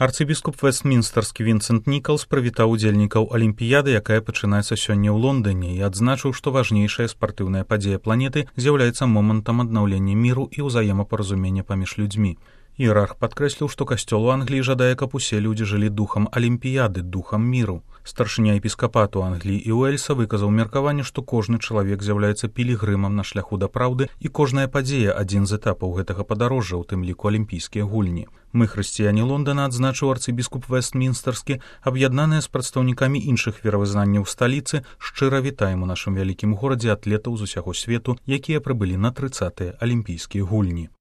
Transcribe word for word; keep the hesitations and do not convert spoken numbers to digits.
Арцыбіскуп Вэстмінстэрскі Вінсент Нікалс прывітаў удзельнікаў алімпіяды, якая пачынаецца сёння ў Лондоне, і адзначыў, што важнейшая спартыўная падзея планеты з'яўляецца момантам аднаўлення міру і ўзаемапаразумення паміж людзьмі. Іерарх падкрэсліў, што касцёл у Англіі жадае, каб усе людзі жылі духам алімпіяды, духам міру. Старшыня епіскапату Англіі і Уэльса выказаў меркаванне, што кожны чалавек з'яўляецца пілігрымам на шляху да праўды, і кожная падзея адзін з этапаў гэтага падарожжа, у тым ліку алімпійскія гульні. Мы, хрысціяне Лондона, адзначыў арцыбіскуп Вэстмінстэрскі, аб'яднаныя з прадстаўнікамі іншых веравызнанняў сталіцы, шчыра вітаем у нашым вялікім горадзе атлетаў з усяго свету, якія прыбылі на трыццатыя алімпійскія гульні.